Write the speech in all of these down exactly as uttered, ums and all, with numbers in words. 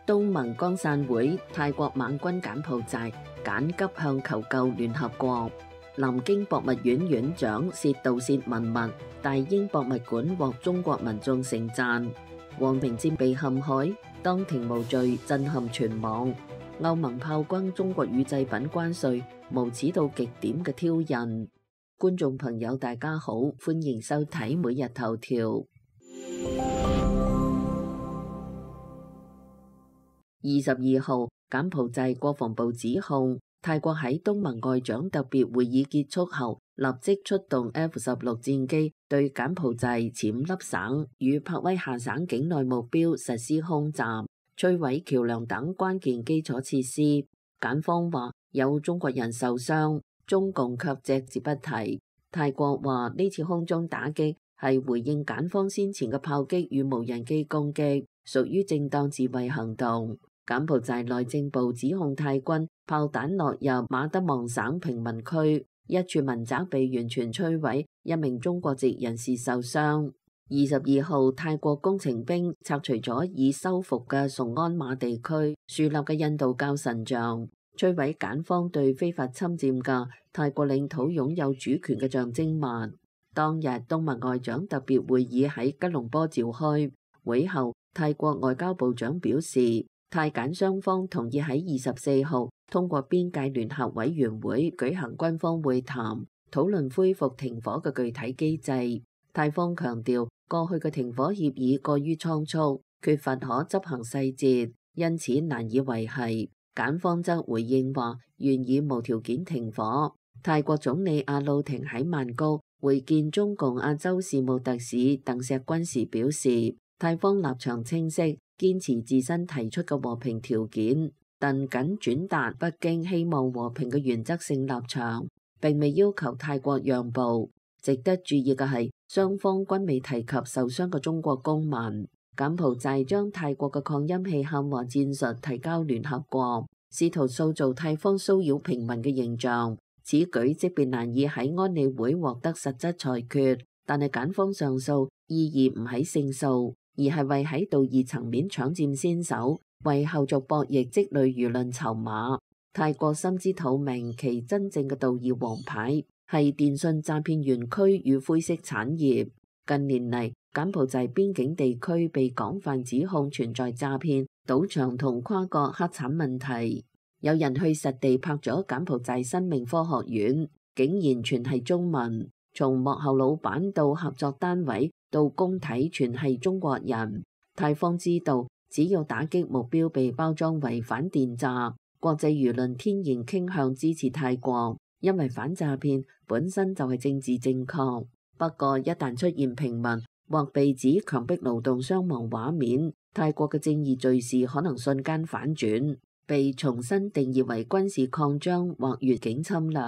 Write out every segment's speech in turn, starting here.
東盟剛散會，泰國猛軍柬埔寨緊急向求救聯合國。南京博物院院長涉盜竊文物，大英博物館獲中國民眾盛讚。黃平戰被陷害，當庭無罪，震撼全網。歐盟炮轟中國乳製品關稅，無恥到極點嘅挑釁。觀眾朋友大家好，歡迎收睇每日頭條。二十二號，柬埔寨國防部指控泰國喺東盟外長特別會議結束後，立即出動 F 十六戰機對柬埔寨暹粒省與柏威夏省境內目標實施空襲，摧毀橋梁等關鍵基礎設施。柬方話有中國人受傷，中共卻隻字不提。泰國話呢次空中打擊係回應柬方先前嘅炮擊與無人機攻擊，屬於正當自衛行動。柬埔寨內政部指控泰軍炮彈落入馬德望省平民區，一處民宅被完全摧毀，一名中國籍人士受傷。二十二號，泰國工程兵拆除咗已修復嘅崇安馬地區樹立嘅印度教神像，摧毀柬方對非法侵佔嘅泰國領土擁有主權嘅象徵物。當日，東盟外長特別會議喺吉隆坡召開，會後泰國外交部長表示，泰柬雙方同意喺二十四號通過邊界聯合委員會舉行軍方會談，討論恢復停火嘅具體機制。泰方強調，過去嘅停火協議過於倉促，缺乏可執行細節，因此難以維繫。柬方則回應話，願意無條件停火。泰國總理阿魯廷喺曼谷會見中共亞洲事務特使鄧錫軍時表示，泰方立場清晰，堅持自身提出嘅和平條件，但僅轉達北京希望和平嘅原則性立場，並未要求泰國讓步。值得注意嘅係，雙方均未提及受傷嘅中國公民。柬埔寨將泰國嘅擴音器喊話戰術提交聯合國，試圖塑造泰方騷擾平民嘅形象。此舉即便難以喺安理會獲得實質裁決，但係柬方上訴意義唔喺勝訴，而係為喺道義層面搶佔先手，為後續博弈積累輿論籌碼。泰國心知肚明，其真正嘅道義王牌係電信詐騙園區與灰色產業。近年嚟，柬埔寨邊境地區被廣泛指控存在詐騙、賭場同跨國黑產問題。有人去實地拍咗柬埔寨生命科學院，竟然全係中文，從幕後老闆到合作單位到工體全係中國人。泰方知道，只要打擊目標被包裝為反電詐，國際輿論天然傾向支持泰國，因為反詐騙本身就係政治正確。不過一旦出現平民或被指強迫勞動傷亡畫面，泰國嘅正義敘事可能瞬間反轉，被重新定義為軍事擴張或越境侵略。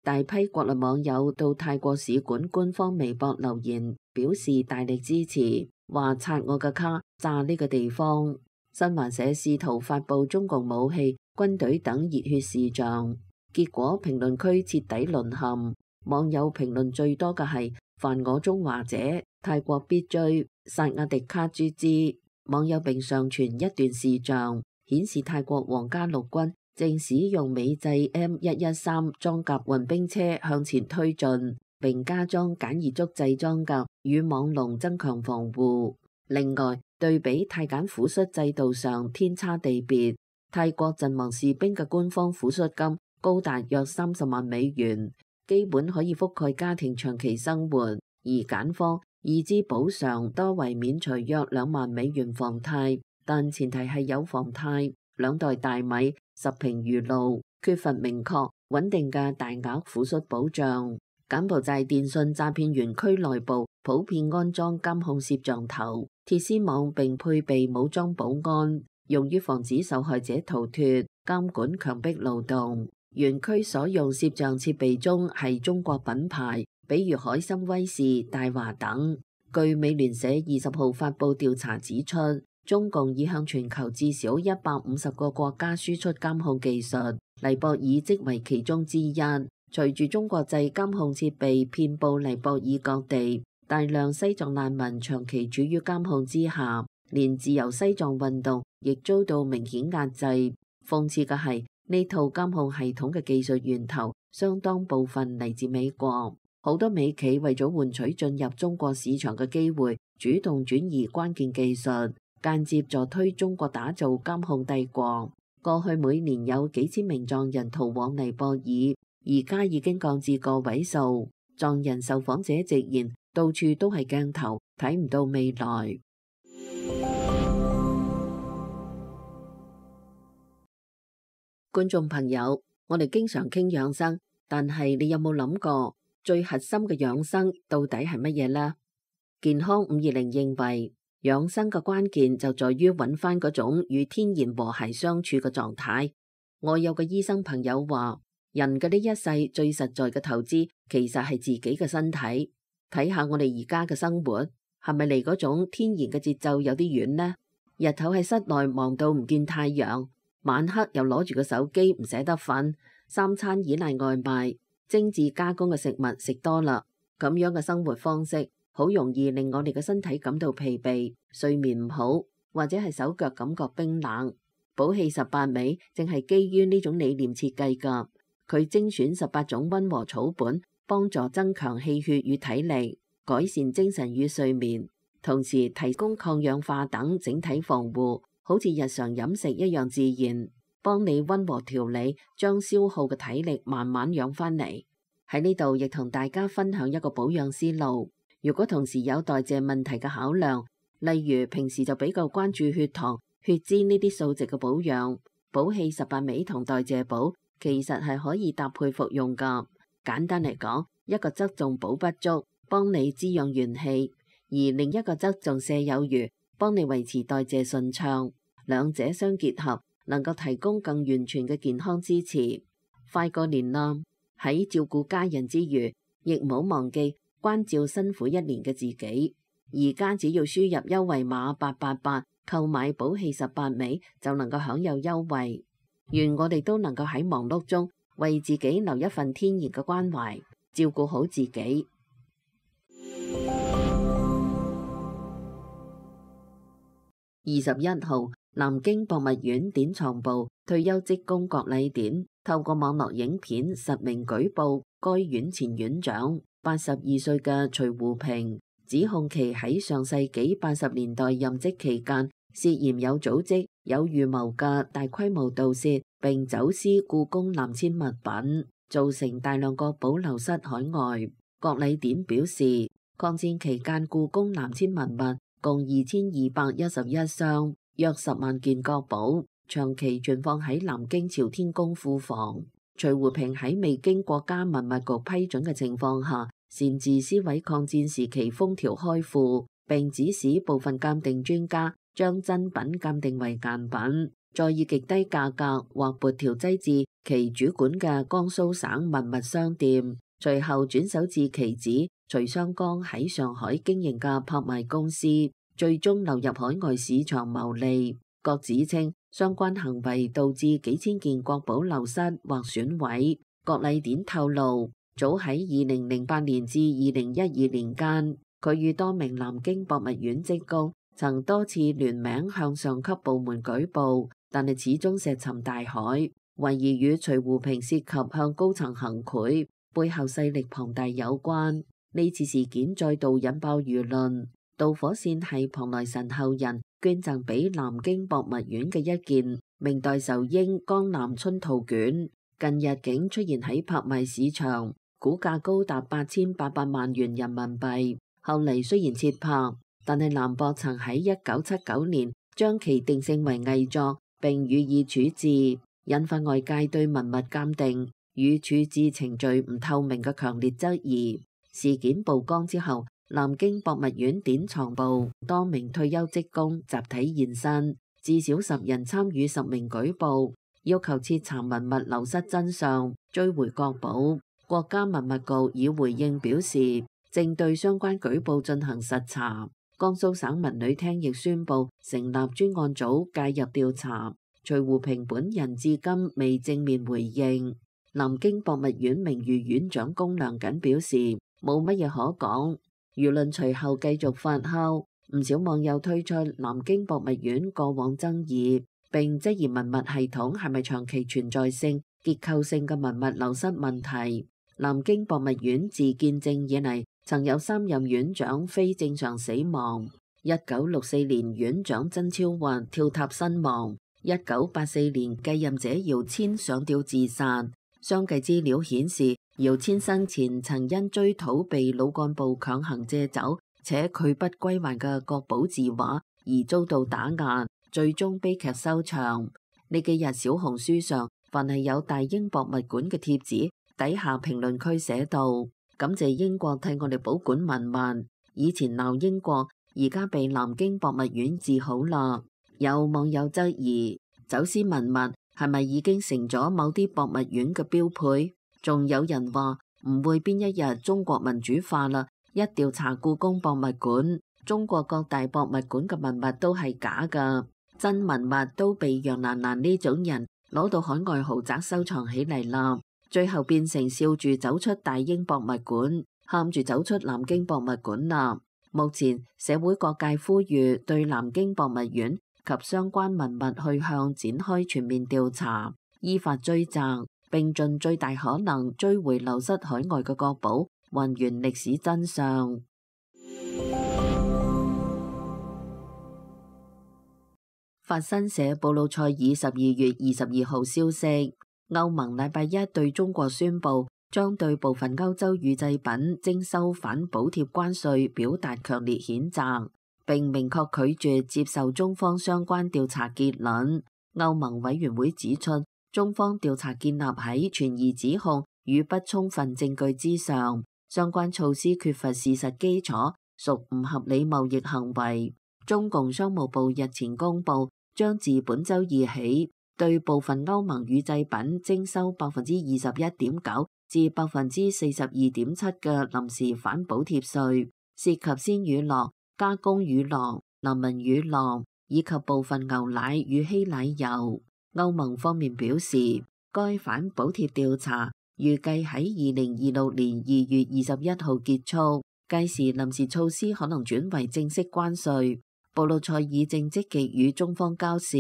大批國內網友到泰國使館官方微博留言，表示大力支持，話刷我嘅卡，炸呢個地方。新華社試圖發布中共武器、軍隊等熱血視像，結果評論區徹底淪陷。網友評論最多嘅係犯我中華者，泰國必追，薩瓦迪卡豬之。網友並上傳一段視像，顯示泰國皇家陸軍正使用美製 M 一一三裝甲運兵車向前推進，並加裝簡易足製裝甲與網籠增強防護。另外，對比泰柬撫恤制度上天差地別，泰國陣亡士兵嘅官方撫恤金高達約三十萬美元，基本可以覆蓋家庭長期生活，而柬方已知補償多為免除約兩萬美元房貸，但前提係有房貸、兩袋大米、十瓶魚露，缺乏明確穩定嘅大額撫恤保障。柬埔寨電信詐騙園區內部普遍安裝監控攝像頭、鐵絲網，並配備武裝保安，用於防止受害者逃脫、監管強迫勞動。園區所用攝像設備中係中國品牌，比如海參威視、大華等。據美聯社二十號發布調查指出，中共已向全球至少一百五十個國家輸出監控技術，尼泊爾即為其中之一。隨住中國製監控設備遍佈尼泊爾各地，大量西藏難民長期處於監控之下，連自由西藏運動亦遭到明顯壓制。諷刺嘅係，呢套監控系統嘅技術源頭相當部分嚟自美國，好多美企為咗換取進入中國市場嘅機會，主動轉移關鍵技術，間接助推中國打造監控帝國。過去每年有幾千名藏人逃往尼泊爾，而家已經降至個位數。藏人受訪者直言，到處都係鏡頭，睇唔到未來。觀眾朋友，我哋經常傾養生，但係你有冇諗過最核心嘅養生到底係乜嘢呢？健康五二零認為，養生嘅關鍵就在於揾翻嗰種與天然和諧相處嘅狀態。我有個醫生朋友話，人嘅呢一世最實在嘅投資其實係自己嘅身體。睇下我哋而家嘅生活，係咪離嗰種天然嘅節奏有啲遠呢？日頭喺室內忙到唔見太陽，晚黑又攞住個手機唔捨得瞓，三餐依賴外賣，精緻加工嘅食物食多啦，咁樣嘅生活方式好容易令我哋嘅身體感到疲憊，睡眠唔好，或者係手腳感覺冰冷。寶氣十八味正係基於呢種理念設計㗎，佢精選十八種溫和草本，幫助增強氣血與體力，改善精神與睡眠，同時提供抗氧化等整體防護，好似日常飲食一樣自然，幫你溫和調理，將消耗嘅體力慢慢養翻嚟。喺呢度亦同大家分享一個保養思路。如果同時有代謝問題嘅考量，例如平時就比較關注血糖、血脂呢啲數值嘅保養，寶氣十八味同代謝寶其實係可以搭配服用㗎。簡單嚟講，一個側重補不足，幫你滋養元氣；而另一個側重瀉有餘，幫你維持代謝順暢。兩者相結合，能夠提供更完全嘅健康支持。快過年啦，喺照顧家人之餘，亦唔好忘記關照辛苦一年嘅自己。而家只要輸入優惠碼八八八，購買寶氣十八味就能夠享有優惠。願我哋都能夠喺忙碌中為自己留一份天然嘅關懷，照顧好自己。二十一號，南京博物院典藏部退休職工國禮典透過網絡影片實名舉報該院前院長八十二歲嘅徐湖平，指控其喺上世紀八十年代任職期間涉嫌有組織、有預謀嘅大規模盜竊並走私故宮南遷物品，造成大量國寶流失海外。國禮典表示，抗戰期間故宮南遷文物共二千二百一十一箱，約十萬件國寶，長期存放喺南京朝天宮庫房。徐湖平喺未經國家文物局批准嘅情況下，擅自撕毀抗戰時期封條開庫，並指使部分鑑定專家將真品鑑定為贋品，再以極低價格或撥條擠至其主管嘅江蘇省文物商店，隨後轉手至其子徐湘江喺上海經營嘅拍賣公司，最終流入海外市場牟利。各指稱相關行為導致幾千件國寶流失或損毀。國禮典透露，早喺二零零八年至二零一二年間，佢與多名南京博物院職工曾多次聯名向上級部門舉報，但係始終石沉大海。懷疑與徐湖平涉及向高層行賄，背後勢力龐大有關。呢次事件再度引爆輿論。導火線係龐來臣後人捐贈俾南京博物院嘅一件明代仇英江南春圖卷，近日竟出現喺拍賣市場，估價高達八千八百萬元人民幣。後嚟雖然撤拍，但係南博曾喺一九七九年將其定性為偽作，並予以處置，引發外界對文物鑑定與處置程序唔透明嘅強烈質疑。事件曝光之後，南京博物院典藏部多名退休職工集體現身，至少十人參與實名舉報，要求徹查文物流失真相，追回國寶。國家文物局已回應表示，正對相關舉報進行實查。江蘇省文旅廳亦宣布成立專案組介入調查。徐湖平本人至今未正面回應。南京博物院名譽院長龔良瑾表示，冇乜嘢可講。輿論隨後繼續發酵，唔少網友推出南京博物院過往爭議，並質疑文物系統係咪長期存在性、結構性嘅文物流失問題。南京博物院自建政以嚟，曾有三任院長非正常死亡。一九六四年，院長曾超華跳塔身亡；一九八四年，繼任者姚謙上吊自殺。相繼資料顯示，姚謙生前曾因追討被老幹部強行借走且拒不歸還嘅國寶字畫而遭到打壓，最終悲劇收場。呢幾日小紅書上，凡係有大英博物館嘅帖子，底下評論區寫道：感謝英國替我哋保管文物，以前鬧英國，而家被南京博物院治好啦。有網友質疑，走私文物係咪已經成咗某啲博物院嘅標配？仲有人話唔會邊一日中國民主化啦，一調查故宮博物館，中國各大博物館嘅文物都係假㗎，真文物都被楊蘭蘭呢種人攞到海外豪宅收藏起嚟啦，最後變成笑住走出大英博物館，喊住走出南京博物館啦。目前社會各界呼籲對南京博物院及相關文物去向展開全面調查，依法追責，並盡最大可能追回流失海外嘅國寶，還原歷史真相。法新社布魯塞爾十二月二十二號消息，歐盟禮拜一對中國宣布將對部分歐洲乳製品徵收反補貼關稅表達強烈譴責，並明確拒絕接受中方相關調查結論。歐盟委員會指出，中方調查建立喺存疑指控與不充分證據之上，相關措施缺乏事實基礎，屬唔合理貿易行為。中共商務部日前公布，將自本週二起對部分歐盟乳製品徵收百分之二十一點九至百分之四十二點七嘅臨時反補貼稅，涉及鮮乳酪、加工乳酪、林文乳酪以及部分牛奶與稀奶油。歐盟方面表示，該反補貼調查預計喺二零二六年二月二十一號結束，屆時臨時措施可能轉為正式關稅。布魯塞爾正積極與中方交涉，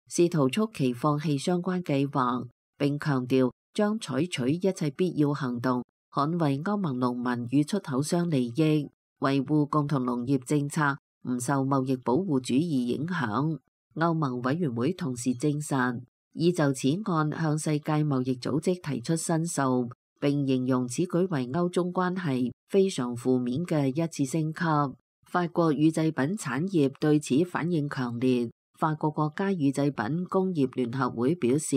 試圖促其放棄相關計劃，並強調將採取一切必要行動，捍衛歐盟農民與出口商利益，維護共同農業政策唔受貿易保護主義影響。歐盟委員會同時證實，已就此案向世界貿易組織提出申訴，並形容此舉為歐中關係非常負面嘅一次升級。法國乳製品產業對此反應強烈。法國國家乳製品工業聯合會表示，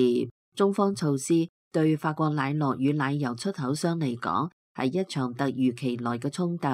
中方措施對法國奶酪與奶油出口商嚟講係一場突如其來嘅衝突，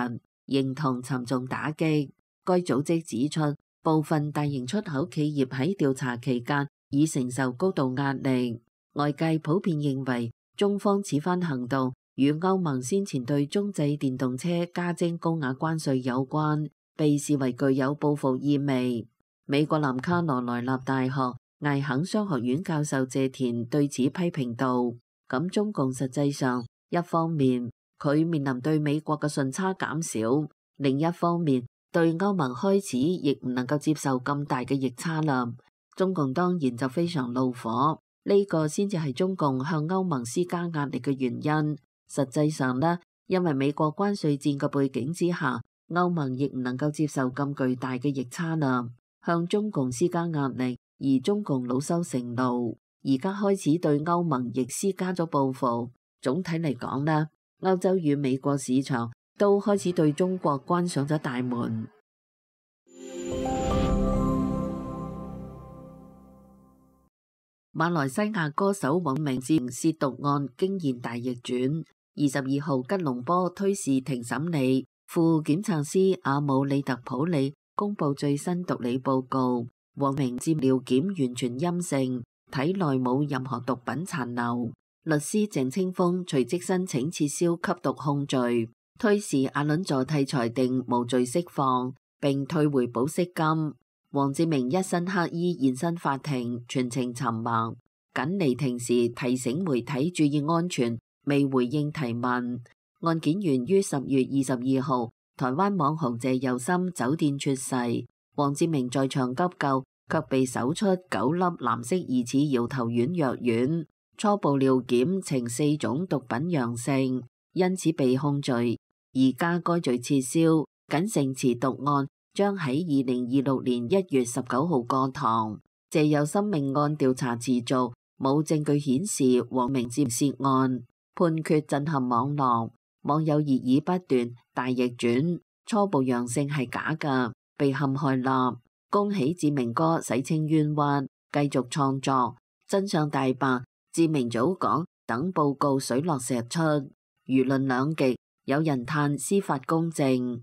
認同沉重打擊。該組織指出，部分大型出口企業喺調查期間已承受高度壓力。外界普遍認為，中方此番行動與歐盟先前對中製電動車加徵高額關稅有關，被視為具有報復意味。美國南卡羅來納大學艾肯商學院教授謝田對此批評道：咁中共實際上一方面佢面臨對美國嘅順差減少，另一方面對歐盟開始亦唔能夠接受咁大嘅逆差啦。中共當然就非常怒火，呢個先至係中共向歐盟施加壓力嘅原因。實際上呢，因為美國關稅戰嘅背景之下，歐盟亦唔能夠接受咁巨大嘅逆差啦，向中共施加壓力，而中共惱羞成怒，而家開始對歐盟亦施加咗報復。總體嚟講呢，歐洲與美國市場都開始對中國關上咗大門。馬來西亞歌手黃明志褻瀆案驚現大逆轉，二十二號吉隆坡推事庭審理，副檢察司阿姆利特普里公布最新毒理報告，黃明志尿檢完全陰性，體內冇任何毒品殘留。律師鄭清峰隨即申請撤銷吸毒控罪，推事阿倫佐替裁定無罪釋放，並退回保釋金。黃志明一身黑衣現身法庭，全程沉默，僅離庭時提醒媒體注意安全，未回應提問。案件源於十月二十二號台灣網紅謝佑森酒店猝逝，黃志明在場急救，卻被搜出九粒藍色疑似搖頭丸藥丸，初步尿檢呈四種毒品陽性，因此被控罪。而家該罪撤銷，僅承辭獨案將喺二零二六年一月十九號過堂。謝佑森命案調查持續，冇證據顯示黃明志涉案，判決震撼網絡，網友熱議不斷，大逆轉，初步陽性係假㗎，被陷害啦！恭喜志明哥洗清冤屈，繼續創作，真相大白。志明早講，等報告水落石出，輿論兩極，有人嘆司法公正。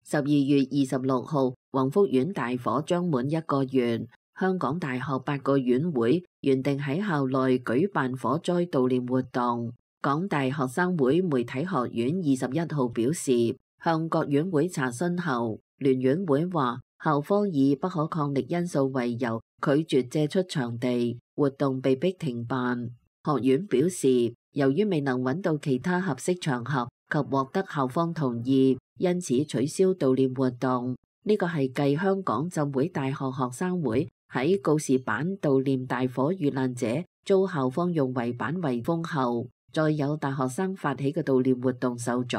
十二月二十六號，宏福苑大火將滿一個月。香港大學八個院會原定喺校內舉辦火災悼念活動。港大學生會媒體學院二十一號表示，向各院會查詢後，聯院會話校方以不可抗力因素為由拒絕借出場地，活動被迫停辦。學院表示，由於未能揾到其他合適場合及獲得校方同意，因此取消悼念活動。呢個係繼香港浸會大學學生會喺告示板悼念大火遇難者遭校方用圍板圍封後，再有大學生發起嘅悼念活動受阻。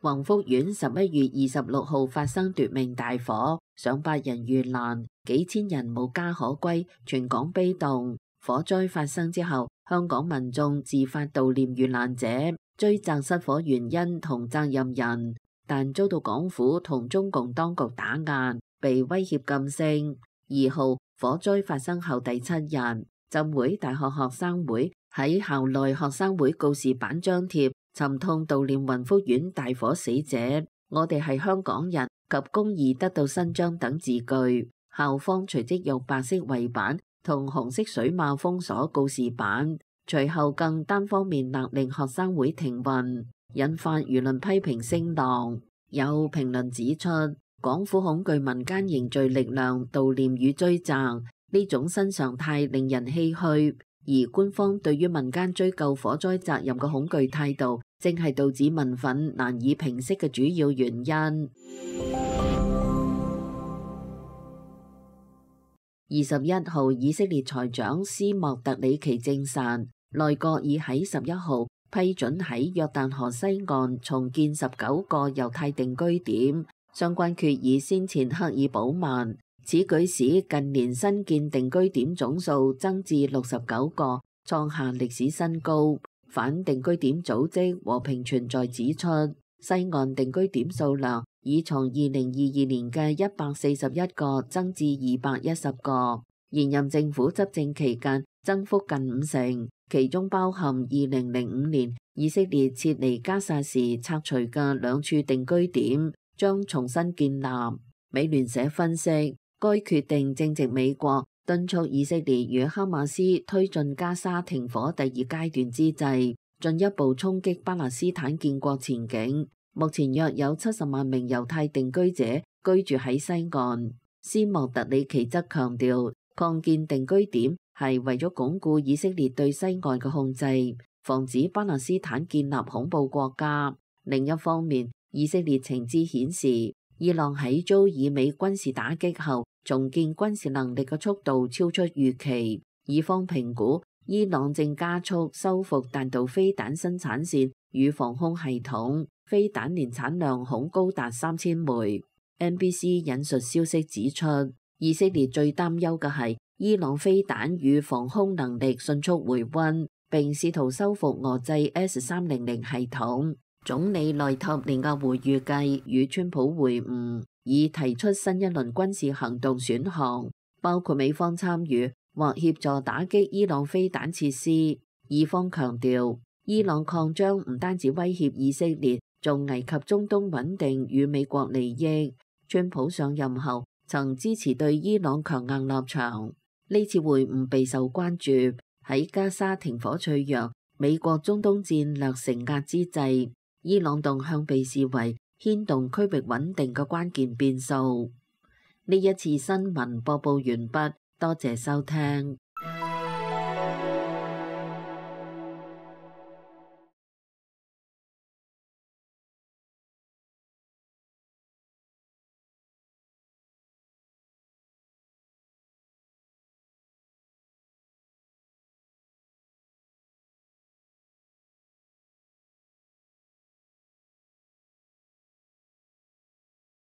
宏福苑十一月二十六號發生奪命大火，上百人遇難，幾千人無家可歸，全港悲動。火災發生之後，香港民眾自發悼念遇難者，追責失火原因同責任人，但遭到港府同中共當局打壓，被威脅噤聲。二號火災發生後第七日，浸會大學學生會喺校內學生會告示板張貼沉痛悼念宏福苑大火死者，我哋係香港人及公義得到伸張等字句。校方隨即用白色圍板同紅色水馬封鎖告示板，隨後更單方面勒令學生會停運，引發輿論批評聲浪。有評論指出，港府恐懼民間凝聚力量悼念與追責，呢種新常態令人唏噓。而官方對於民間追究火災責任嘅恐懼態度，正係導致民憤難以平息嘅主要原因。二十一號，以色列財長斯莫特里奇證實，內閣已喺十一號批准喺約旦河西岸重建十九個猶太定居點，相關決議先前刻意保密。此舉使近年新建定居點總數增至六十九個，創下歷史新高。反定居點組織和平存在指出，西岸定居點數量已從二零二二年嘅一百四十一個增至二百一十個，現任政府執政期間增幅近五成，其中包含二零零五年以色列撤離加薩時拆除嘅兩處定居點，將重新建立。美聯社分析，該決定正值美國敦促以色列與哈馬斯推進加沙停火第二階段之際，進一步衝擊巴勒斯坦建國前景。目前約有七十萬名猶太定居者居住喺西岸。斯莫特里奇則強調，擴建定居點係為咗鞏固以色列對西岸嘅控制，防止巴勒斯坦建立恐怖國家。另一方面，以色列情資顯示，伊朗喺遭以美軍事打擊後，重建軍事能力嘅速度超出預期。以方評估，伊朗正加速修復彈道飛彈生產線與防空系統，飛彈年產量恐高達三千枚。N B C 引述消息指出，以色列最擔憂嘅係伊朗飛彈與防空能力迅速回溫，並試圖修復俄製 S 三百系統。總理內塔尼亞胡預計與川普會晤，以提出新一輪軍事行動選項，包括美方參與或協助打擊伊朗飛彈設施。以方強調，伊朗擴張唔單止威脅以色列，仲危及中東穩定與美國利益。川普上任後曾支持對伊朗強硬立場，呢次會晤備受關注。喺加沙停火脆弱、美國中東戰略承壓之際，伊朗動向被視為牽動區域穩定嘅關鍵變數。呢一次新聞播報完畢，多謝收聽。